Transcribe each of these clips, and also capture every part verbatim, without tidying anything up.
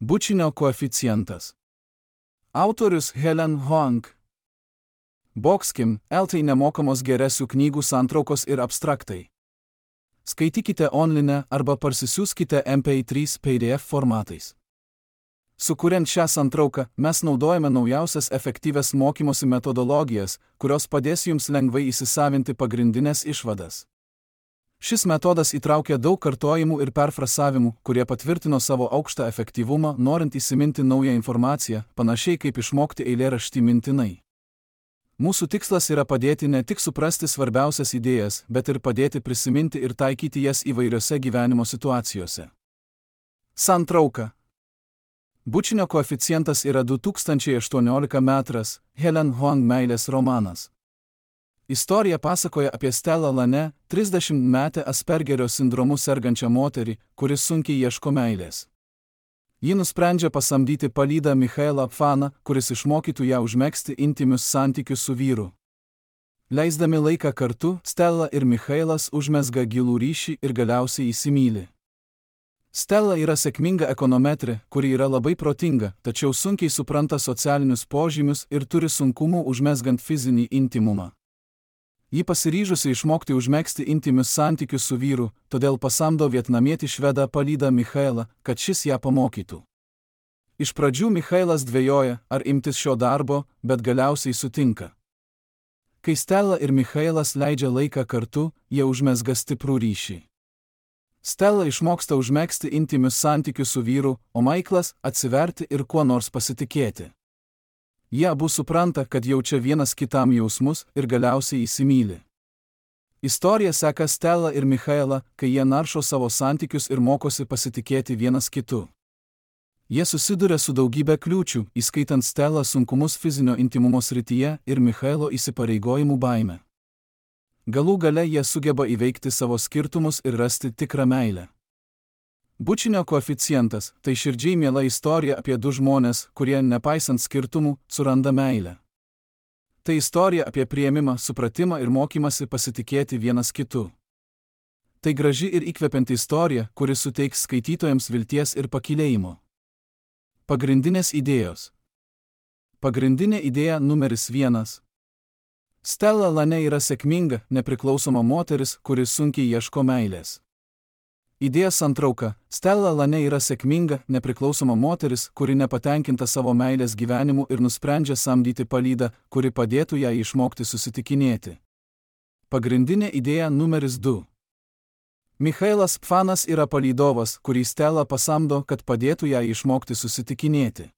Bučinio koeficientas. Autorius Helen Hoang. Boxkim, eltai nemokamos geresių knygų santraukos ir abstraktai. Skaitykite online arba parsisiųskite M P trys P D F formatais. Sukuriant šią santrauką, mes naudojame naujausias efektyvias mokymosi metodologijas, kurios padės jums lengvai įsisavinti pagrindinės išvadas. Šis metodas įtraukia daug kartojimų ir perfrasavimų, kurie patvirtino savo aukštą efektyvumą, norint įsiminti naują informaciją, panašiai kaip išmokti eilėraštį mintinai. Mūsų tikslas yra padėti ne tik suprasti svarbiausias idėjas, bet ir padėti prisiminti ir taikyti jas įvairiose gyvenimo situacijose. Santrauka. Bučinio koeficientas yra du tūkstančiai aštuoniolika metras, Helen Hoang meilės romanas. Istorija pasakoja apie Stellą Lane, trisdešimtmetę Aspergerio sindromu sergančią moterį, kuris sunkiai ieško meilės. Ji nusprendžia pasamdyti palydą Michaelą Pfaną, kuris išmokytų ją užmegzti intymius santykius su vyru. Leisdami laiką kartu, Stella ir Michaelas užmezga gilų ryšį ir galiausiai įsimyli. Stella yra sėkminga ekonometrė, kuri yra labai protinga, tačiau sunkiai supranta socialinius požymius ir turi sunkumų užmezgant fizinį intymumą. Ji pasiryžusi išmokti užmegzti intymius santykius su vyru, todėl pasamdo vietnamietį švedą palydą Michaelą, kad šis ją pamokytų. Iš pradžių Michaelas dvejoja, ar imtis šio darbo, bet galiausiai sutinka. Kai Stella ir Michaelas leidžia laiką kartu, jie užmezga stiprų ryšį. Stella išmoksta užmegzti intymius santykius su vyru, o Michaelas atsiverti ir kuo nors pasitikėti. Jie abu supranta, kad jaučia vienas kitam jausmus ir galiausiai įsimyli. Istorija seka Stella ir Michaelą, kai jie naršo savo santykius ir mokosi pasitikėti vienas kitu. Jie susiduria su daugybė kliūčių, įskaitant Stella sunkumus fizinio intymumo srityje ir Michaelo įsipareigojimų baimę. Galų gale jie sugeba įveikti savo skirtumus ir rasti tikrą meilę. Bučinio koeficientas – tai širdžiai miela istorija apie du žmonės, kurie, nepaisant skirtumų, suranda meilę. Tai istorija apie priėmimą, supratimą ir mokymasi pasitikėti vienas kitu. Tai graži ir įkvepianti istorija, kuri suteiks skaitytojams vilties ir pakylėjimo. Pagrindinės idėjos. Pagrindinė idėja numeris vienas. Stella Lane yra sėkminga, nepriklausoma moteris, kuri sunkiai ieško meilės. Idėja santrauka. Stella Lane yra sėkminga, nepriklausoma moteris, kuri nepatenkinta savo meilės gyvenimu ir nusprendžia samdyti palydą, kuri padėtų ją išmokti susitikinėti. Pagrindinė idėja numeris du. Michaelas Pfanas yra palydovas, kurį Stella pasamdo, kad padėtų ją išmokti susitikinėti.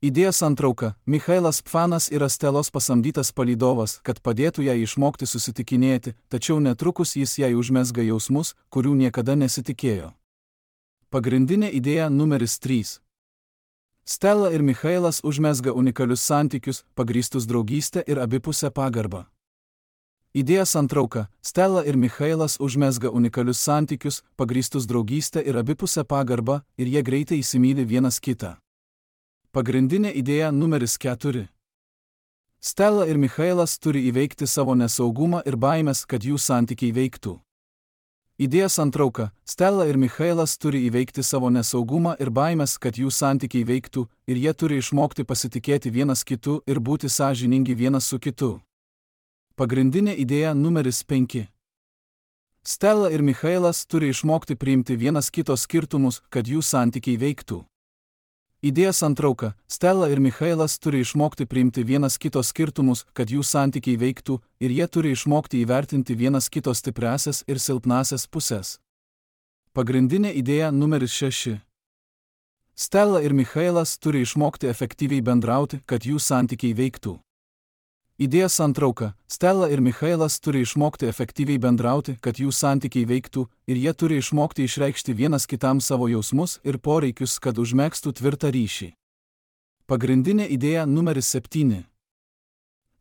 Idėja santrauka. Michaelas Pfanas yra Stellos pasamdytas palydovas, kad padėtų ją išmokti susitikinėti, tačiau netrukus jis jai užmezga jausmus, kurių niekada nesitikėjo. Pagrindinė idėja numeris trys. Stella ir Michaelas užmezga unikalius santykius, pagrįstus draugystę ir abipusę pagarbą. Idėja santrauka. Stella ir Michaelas užmezga unikalius santykius, pagrįstus draugystę ir abipusę pagarbą, ir jie greitai įsimyli vienas kitą. Pagrindinė idėja numeris keturi. Stella ir Michaelas turi įveikti savo nesaugumą ir baimės, kad jų santykiai veiktų. Idėja santrauka. Stella ir Michaelas turi įveikti savo nesaugumą ir baimės, kad jų santykiai veiktų, ir jie turi išmokti pasitikėti vienas kitu ir būti sąžiningi vienas su kitu. Pagrindinė idėja numeris penki. Stella ir Michaelas turi išmokti priimti vienas kito skirtumus, kad jų santykiai veiktų. Idėja santrauka. Stella ir Michaelas turi išmokti priimti vienas kito skirtumus, kad jų santykiai veiktų, ir jie turi išmokti įvertinti vienas kito stipriasias ir silpnasias pusės. Pagrindinė idėja numeris šeši. Stella ir Michaelas turi išmokti efektyviai bendrauti, kad jų santykiai veiktų. Idėja santrauka. Stella ir Michaelas turi išmokti efektyviai bendrauti, kad jų santykiai veiktų, ir jie turi išmokti išreikšti vienas kitam savo jausmus ir poreikius, kad užmegztų tvirtą ryšį. Pagrindinė idėja numeris septyni.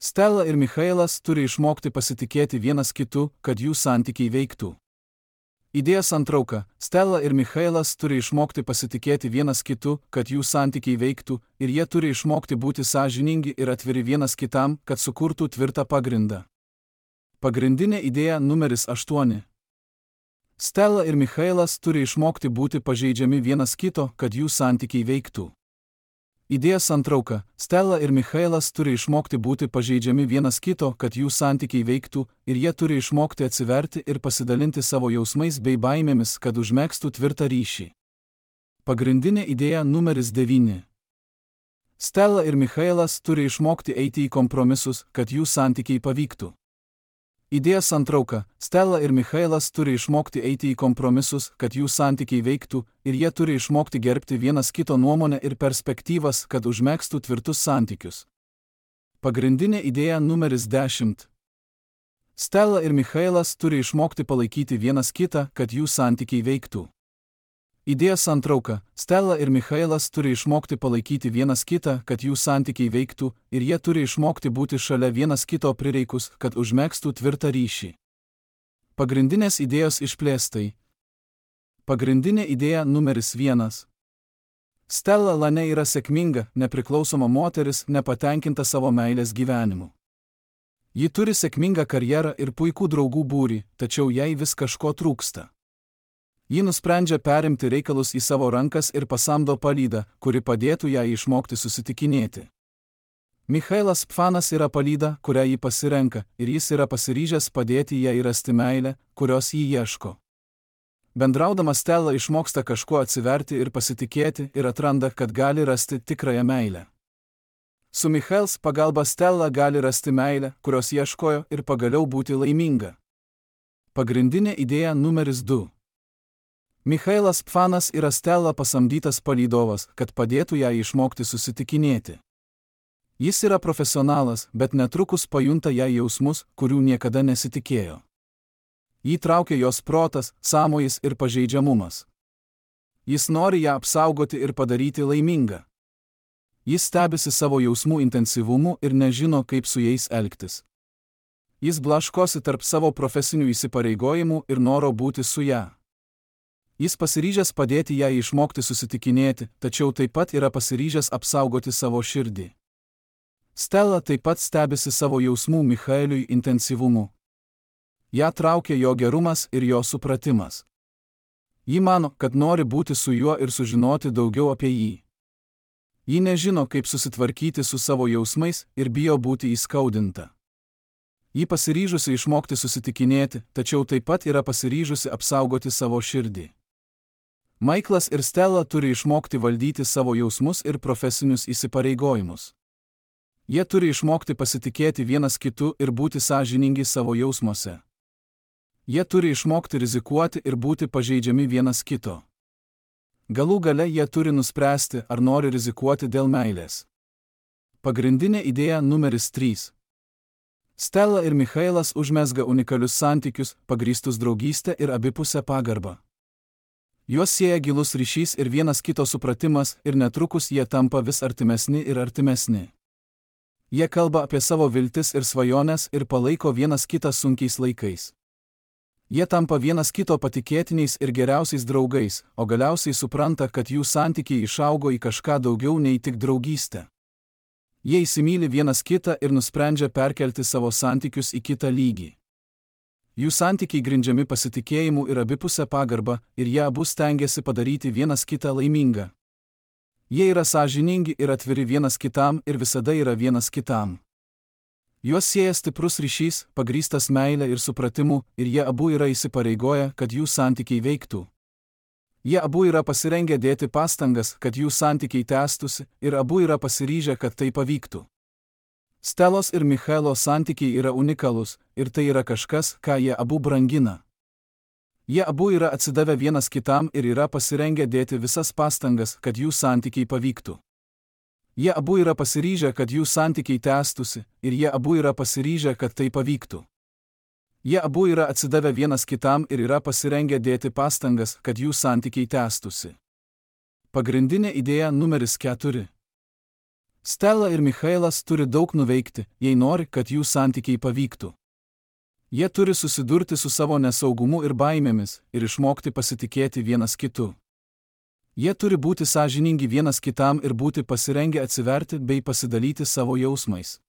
Stella ir Michaelas turi išmokti pasitikėti vienas kitu, kad jų santykiai veiktų. Idėja santrauka. Stella ir Michaelas turi išmokti pasitikėti vienas kitu, kad jų santykiai veiktų, ir jie turi išmokti būti sąžiningi ir atviri vienas kitam, kad sukurtų tvirtą pagrindą. Pagrindinė idėja numeris aštuoni. Stela ir Michailas turi išmokti būti pažeidžiami vienas kito, kad jų santykiai veiktų. Idėjos santrauka. Stela ir Michailas turi išmokti būti pažeidžiami vienas kito, kad jų santykiai veiktų, ir jie turi išmokti atsiverti ir pasidalinti savo jausmais bei baimėmis, kad užmegztų tvirtą ryšį. Pagrindinė idėja numeris devyni. Stela ir Michailas turi išmokti eiti į kompromisus, kad jų santykiai pavyktų. Idėjos santrauka. Stela ir Michailas turi išmokti eiti į kompromisus, kad jų santykiai veiktų, ir jie turi išmokti gerbti vienas kito nuomonę ir perspektyvas, kad užmegztų tvirtus santykius. Pagrindinė idėja numeris dešimt. Stela ir Michailas turi išmokti palaikyti vienas kitą, kad jų santykiai veiktų. Idėjos santrauka. Stela ir Michailas turi išmokti palaikyti vienas kitą, kad jų santykiai veiktų, ir jie turi išmokti būti šalia vienas kito prireikus, kad užmegztų tvirtą ryšį. Pagrindinės idėjos išplėstai. Pagrindinė idėja numeris vienas. Stela Lane yra sėkminga, nepriklausoma moteris, nepatenkinta savo meilės gyvenimu. Ji turi sėkmingą karjerą ir puikų draugų būrį, tačiau jai vis kažko trūksta. Ji nusprendžia perimti reikalus į savo rankas ir pasamdo palydą, kuri padėtų jai išmokti susitikinėti. Michailas Pfanas yra palyda, kurią ji pasirenka, ir jis yra pasiryžęs padėti jai rasti meilę, kurios ji ieško. Bendraudama Stela išmoksta kažkuo atsiverti ir pasitikėti ir atranda, kad gali rasti tikrąją meilę. Su Michails pagalba Stela gali rasti meilę, kurios ieškojo, ir pagaliau būti laiminga. Pagrindinė idėja numeris du. Michailas Pfanas yra Stela pasamdytas palydovas, kad padėtų jai išmokti susitikinėti. Jis yra profesionalas, bet netrukus pajunta jai jausmus, kurių niekada nesitikėjo. Jį traukia jos protas, sąmojis ir pažeidžiamumas. Jis nori ją apsaugoti ir padaryti laimingą. Jis stebisi savo jausmų intensyvumu ir nežino, kaip su jais elgtis. Jis blaškosi tarp savo profesinių įsipareigojimų ir noro būti su ją. Jis pasiryžęs padėti jai išmokti susitikinėti, tačiau taip pat yra pasiryžęs apsaugoti savo širdį. Stela taip pat stebisi savo jausmų Michaeliui intensyvumu. Ja traukia jo gerumas ir jo supratimas. Ji mano, kad nori būti su juo ir sužinoti daugiau apie jį. Ji nežino, kaip susitvarkyti su savo jausmais ir bijo būti įskaudinta. Ji pasiryžusi išmokti susitikinėti, tačiau taip pat yra pasiryžusi apsaugoti savo širdį. Michaelas ir Stela turi išmokti valdyti savo jausmus ir profesinius įsipareigojimus. Jie turi išmokti pasitikėti vienas kitu ir būti sąžiningi savo jausmuose. Jie turi išmokti rizikuoti ir būti pažeidžiami vienas kito. Galų gale jie turi nuspręsti, ar nori rizikuoti dėl meilės. Pagrindinė idėja numeris trys. Stela ir Michailas užmezga unikalius santykius, pagrįstus draugystę ir abipusę pagarbą. Juos sieja gilus ryšys ir vienas kito supratimas, ir netrukus jie tampa vis artimesni ir artimesni. Jie kalba apie savo viltis ir svajones ir palaiko vienas kitą sunkiais laikais. Jie tampa vienas kito patikėtiniais ir geriausiais draugais, o galiausiai supranta, kad jų santykiai išaugo į kažką daugiau nei tik draugystę. Jie įsimyli vienas kitą ir nusprendžia perkelti savo santykius į kitą lygį. Jų santykiai grindžiami pasitikėjimu ir abipusę pagarbą, ir jie abu stengiasi padaryti vienas kitą laimingą. Jie yra sąžiningi ir atviri vienas kitam ir visada yra vienas kitam. Juos sieja stiprus ryšys, pagrįstas meile ir supratimu, ir jie abu yra įsipareigoję, kad jų santykiai veiktų. Jie abu yra pasirengę dėti pastangas, kad jų santykiai tęstųsi, ir abu yra pasiryžę, kad tai pavyktų. Stelos ir Michailo santykiai yra unikalūs, ir tai yra kažkas, ką jie abu brangina. Jie abu yra atsidavę vienas kitam ir yra pasirengę dėti visas pastangas, kad jų santykiai pavyktų. Jie abu yra pasiryžę, kad jų santykiai tęstųsi, ir jie abu yra pasiryžę, kad tai pavyktų. Jie abu yra atsidavę vienas kitam ir yra pasirengę dėti pastangas, kad jų santykiai tęstųsi. Pagrindinė idėja numeris keturi. Stela ir Michailas turi daug nuveikti, jei nori, kad jų santykiai pavyktų. Jie turi susidurti su savo nesaugumu ir baimėmis ir išmokti pasitikėti vienas kitu. Jie turi būti sąžiningi vienas kitam ir būti pasirengę atsiverti bei pasidalyti savo jausmais.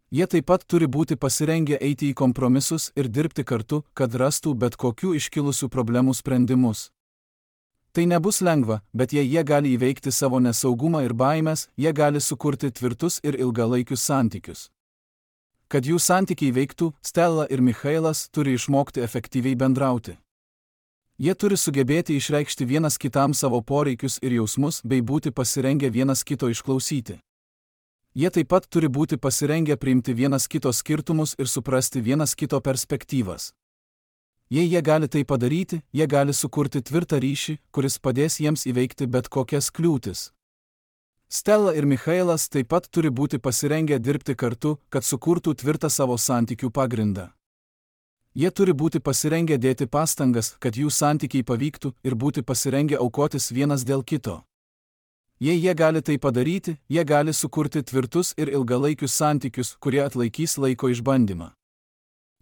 Jie taip pat turi būti pasirengę eiti į kompromisus ir dirbti kartu, kad rastų bet kokių iškilusių problemų sprendimus. Tai nebus lengva, bet jei jie gali įveikti savo nesaugumą ir baimės, jie gali sukurti tvirtus ir ilgalaikius santykius. Kad jų santykiai veiktų, Stella ir Michailas turi išmokti efektyviai bendrauti. Jie turi sugebėti išreikšti vienas kitam savo poreikius ir jausmus bei būti pasirengę vienas kito išklausyti. Jie taip pat turi būti pasirengę priimti vienas kito skirtumus ir suprasti vienas kito perspektyvas. Jei jie gali tai padaryti, jie gali sukurti tvirtą ryšį, kuris padės jiems įveikti bet kokias kliūtis. Stella ir Michailas taip pat turi būti pasirengę dirbti kartu, kad sukurtų tvirtą savo santykių pagrindą. Jie turi būti pasirengę dėti pastangas, kad jų santykiai pavyktų ir būti pasirengę aukotis vienas dėl kito. Jei jie gali tai padaryti, jie gali sukurti tvirtus ir ilgalaikius santykius, kurie atlaikys laiko išbandymą.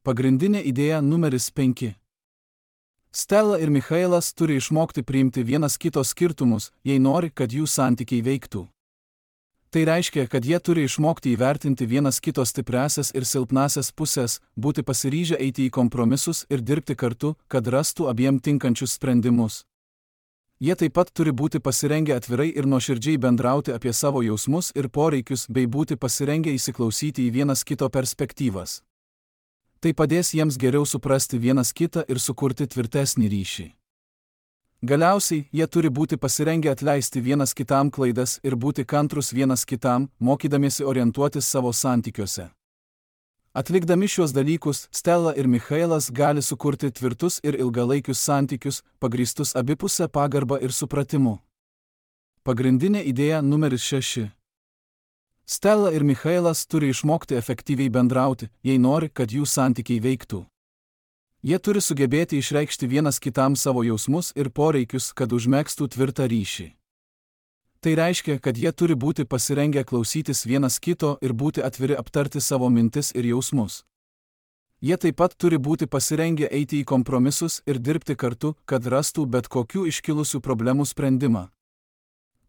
Pagrindinė idėja numeris penki. Stella ir Michailas turi išmokti priimti vienas kito skirtumus, jei nori, kad jų santykiai veiktų. Tai reiškia, kad jie turi išmokti įvertinti vienas kito stipriasias ir silpnasias pusės, būti pasiryžę eiti į kompromisus ir dirbti kartu, kad rastų abiem tinkančius sprendimus. Jie taip pat turi būti pasirengę atvirai ir nuoširdžiai bendrauti apie savo jausmus ir poreikius bei būti pasirengę įsiklausyti į vienas kito perspektyvas. Tai padės jiems geriau suprasti vienas kitą ir sukurti tvirtesnį ryšį. Galiausiai, jie turi būti pasirengę atleisti vienas kitam klaidas ir būti kantrus vienas kitam, mokydamiesi orientuotis savo santykiuose. Atlikdami šiuos dalykus, Stella ir Michailas gali sukurti tvirtus ir ilgalaikius santykius, pagrįstus abipusę pagarbą ir supratimu. Pagrindinė idėja numeris šeši. Stella ir Michailas turi išmokti efektyviai bendrauti, jei nori, kad jų santykiai veiktų. Jie turi sugebėti išreikšti vienas kitam savo jausmus ir poreikius, kad užmegztų tvirtą ryšį. Tai reiškia, kad jie turi būti pasirengę klausytis vienas kito ir būti atviri aptarti savo mintis ir jausmus. Jie taip pat turi būti pasirengę eiti į kompromisus ir dirbti kartu, kad rastų bet kokių iškilusių problemų sprendimą.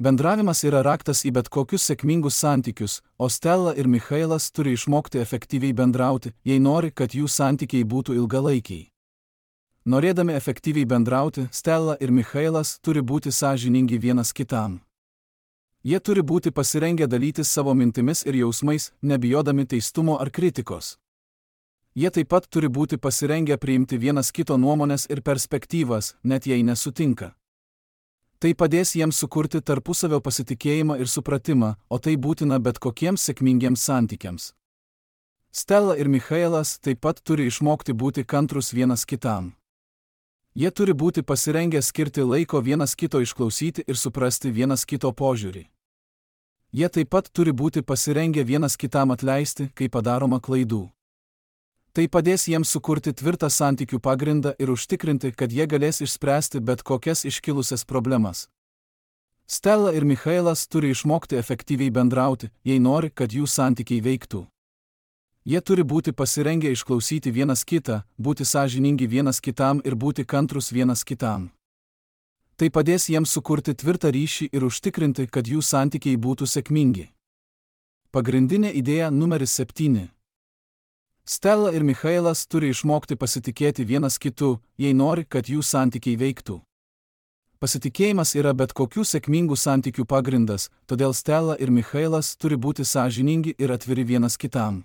Bendravimas yra raktas į bet kokius sėkmingus santykius, o Stella ir Michailas turi išmokti efektyviai bendrauti, jei nori, kad jų santykiai būtų ilgalaikiai. Norėdami efektyviai bendrauti, Stella ir Michailas turi būti sąžiningi vienas kitam. Jie turi būti pasirengę dalytis savo mintimis ir jausmais, nebijodami teistumo ar kritikos. Jie taip pat turi būti pasirengę priimti vienas kito nuomonės ir perspektyvas, net jei nesutinka. Tai padės jiems sukurti tarpusavio pasitikėjimą ir supratimą, o tai būtina bet kokiems sėkmingiems santykiams. Stella ir Michailas taip pat turi išmokti būti kantrus vienas kitam. Jie turi būti pasirengę skirti laiko vienas kito išklausyti ir suprasti vienas kito požiūrį. Jie taip pat turi būti pasirengę vienas kitam atleisti, kai padaroma klaidų. Tai padės jiems sukurti tvirtą santykių pagrindą ir užtikrinti, kad jie galės išspręsti bet kokias iškilusias problemas. Stella ir Michailas turi išmokti efektyviai bendrauti, jei nori, kad jų santykiai veiktų. Jie turi būti pasirengę išklausyti vienas kitą, būti sąžiningi vienas kitam ir būti kantrus vienas kitam. Tai padės jiems sukurti tvirtą ryšį ir užtikrinti, kad jų santykiai būtų sėkmingi. Pagrindinė idėja numeris septyni. Stella ir Michailas turi išmokti pasitikėti vienas kitu, jei nori, kad jų santykiai veiktų. Pasitikėjimas yra bet kokių sėkmingų santykių pagrindas, todėl Stella ir Michailas turi būti sąžiningi ir atviri vienas kitam.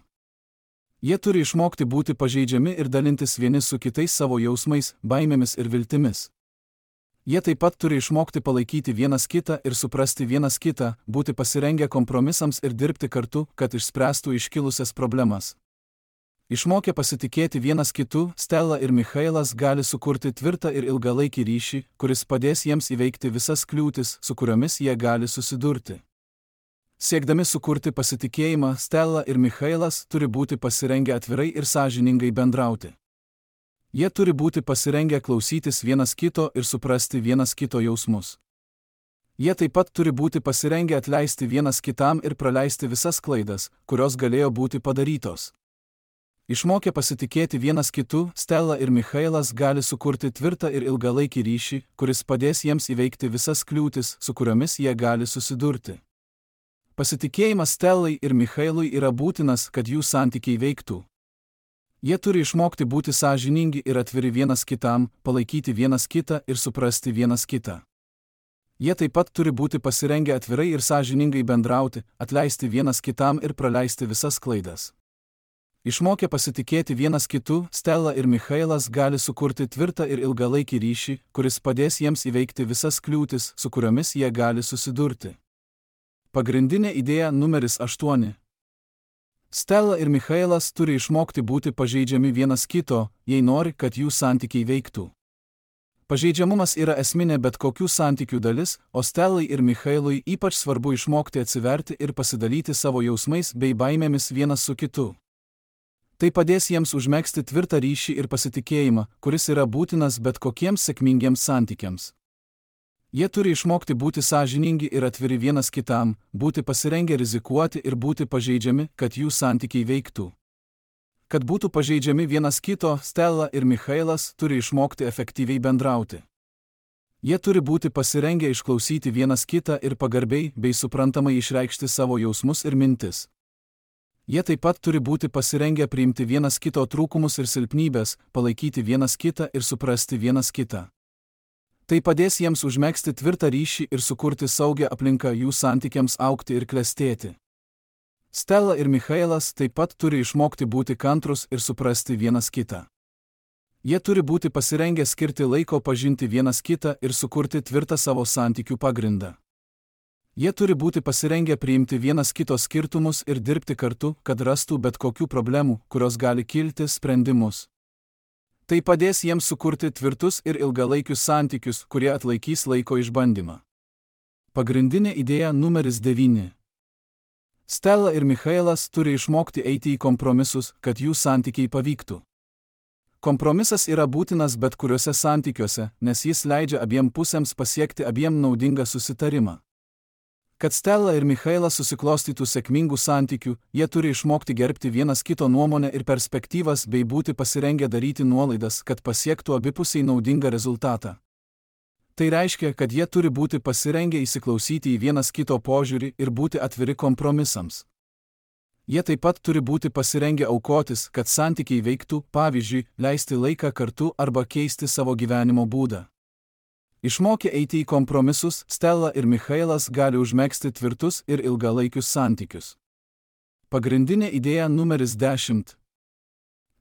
Jie turi išmokti būti pažeidžiami ir dalintis vieni su kitais savo jausmais, baimėmis ir viltimis. Jie taip pat turi išmokti palaikyti vienas kitą ir suprasti vienas kitą, būti pasirengę kompromisams ir dirbti kartu, kad išspręstų iškilusias problemas. Išmokę pasitikėti vienas kitu, Stella ir Michailas gali sukurti tvirtą ir ilgalaikį ryšį, kuris padės jiems įveikti visas kliūtis, su kuriomis jie gali susidurti. Siekdami sukurti pasitikėjimą, Stella ir Michailas turi būti pasirengę atvirai ir sąžiningai bendrauti. Jie turi būti pasirengę klausytis vienas kito ir suprasti vienas kito jausmus. Jie taip pat turi būti pasirengę atleisti vienas kitam ir praleisti visas klaidas, kurios galėjo būti padarytos. Išmokę pasitikėti vienas kitu, Stella ir Michailas gali sukurti tvirtą ir ilgalaikį ryšį, kuris padės jiems įveikti visas kliūtis, su kuriomis jie gali susidurti. Pasitikėjimas Stellai ir Michailui yra būtinas, kad jų santykiai veiktų. Jie turi išmokti būti sąžiningi ir atviri vienas kitam, palaikyti vienas kitą ir suprasti vienas kitą. Jie taip pat turi būti pasirengę atvirai ir sąžiningai bendrauti, atleisti vienas kitam ir praleisti visas klaidas. Išmokę pasitikėti vienas kitu, Stella ir Michailas gali sukurti tvirtą ir ilgalaikį ryšį, kuris padės jiems įveikti visas kliūtis, su kuriomis jie gali susidurti. Pagrindinė idėja numeris aštuoni. Stella ir Michailas turi išmokti būti pažeidžiami vienas kito, jei nori, kad jų santykiai veiktų. Pažeidžiamumas yra esminė bet kokių santykių dalis, o Stellai ir Michailui ypač svarbu išmokti atsiverti ir pasidalyti savo jausmais bei baimėmis vienas su kitu. Tai padės jiems užmegzti tvirtą ryšį ir pasitikėjimą, kuris yra būtinas bet kokiems sėkmingiems santykiams. Jie turi išmokti būti sąžiningi ir atviri vienas kitam, būti pasirengę rizikuoti ir būti pažeidžiami, kad jų santykiai veiktų. Kad būtų pažeidžiami vienas kito, Stella ir Michailas turi išmokti efektyviai bendrauti. Jie turi būti pasirengę išklausyti vienas kitą ir pagarbiai bei suprantamai išreikšti savo jausmus ir mintis. Jie taip pat turi būti pasirengę priimti vienas kito trūkumus ir silpnybės, palaikyti vienas kitą ir suprasti vienas kitą. Tai padės jiems užmegzti tvirtą ryšį ir sukurti saugią aplinką jų santykiams augti ir klestėti. Stella ir Michailas taip pat turi išmokti būti kantrus ir suprasti vienas kitą. Jie turi būti pasirengę skirti laiko pažinti vienas kitą ir sukurti tvirtą savo santykių pagrindą. Jie turi būti pasirengę priimti vienas kito skirtumus ir dirbti kartu, kad rastų bet kokių problemų, kurios gali kilti, sprendimus. Tai padės jiems sukurti tvirtus ir ilgalaikius santykius, kurie atlaikys laiko išbandymą. Pagrindinė idėja numeris devyni. Stella ir Michailas turi išmokti eiti į kompromisus, kad jų santykiai pavyktų. Kompromisas yra būtinas bet kuriuose santykiuose, nes jis leidžia abiem pusėms pasiekti abiem naudingą susitarimą. Kad Stella ir Michailas susiklostytų sėkmingų santykių, jie turi išmokti gerbti vienas kito nuomonę ir perspektyvas bei būti pasirengę daryti nuolaidas, kad pasiektų abipusiai naudingą rezultatą. Tai reiškia, kad jie turi būti pasirengę įsiklausyti į vienas kito požiūrį ir būti atviri kompromisams. Jie taip pat turi būti pasirengę aukotis, kad santykiai veiktų, pavyzdžiui, leisti laiką kartu arba keisti savo gyvenimo būdą. Išmokę eiti į kompromisus, Stella ir Michailas gali užmegzti tvirtus ir ilgalaikius santykius. Pagrindinė idėja numeris dešimt.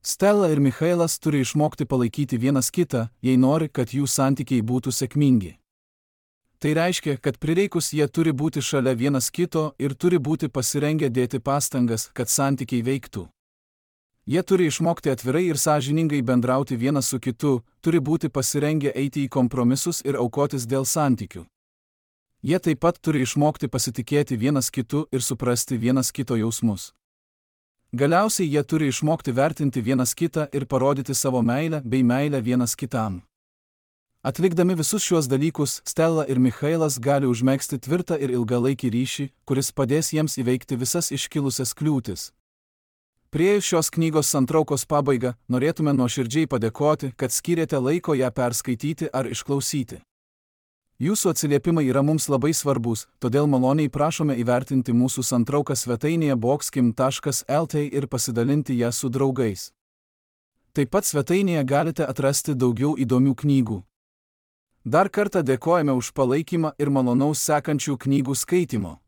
Stella ir Michailas turi išmokti palaikyti vienas kitą, jei nori, kad jų santykiai būtų sėkmingi. Tai reiškia, kad prireikus jie turi būti šalia vienas kito ir turi būti pasirengę dėti pastangas, kad santykiai veiktų. Jie turi išmokti atvirai ir sąžiningai bendrauti vienas su kitu, turi būti pasirengę eiti į kompromisus ir aukotis dėl santykių. Jie taip pat turi išmokti pasitikėti vienas kitu ir suprasti vienas kito jausmus. Galiausiai jie turi išmokti vertinti vienas kitą ir parodyti savo meilę bei meilę vienas kitam. Atlikdami visus šiuos dalykus, Stella ir Michailas gali užmegzti tvirtą ir ilgalaikį ryšį, kuris padės jiems įveikti visas iškilusias kliūtis. Priėjus šios knygos santraukos pabaigą, norėtume nuoširdžiai padėkoti, kad skyrėte laiko ją perskaityti ar išklausyti. Jūsų atsiliepimai yra mums labai svarbus, todėl maloniai prašome įvertinti mūsų santrauką svetainėje boxkim taškas el t ir pasidalinti ją su draugais. Taip pat svetainėje galite atrasti daugiau įdomių knygų. Dar kartą dėkojame už palaikymą ir malonaus sekančių knygų skaitimo.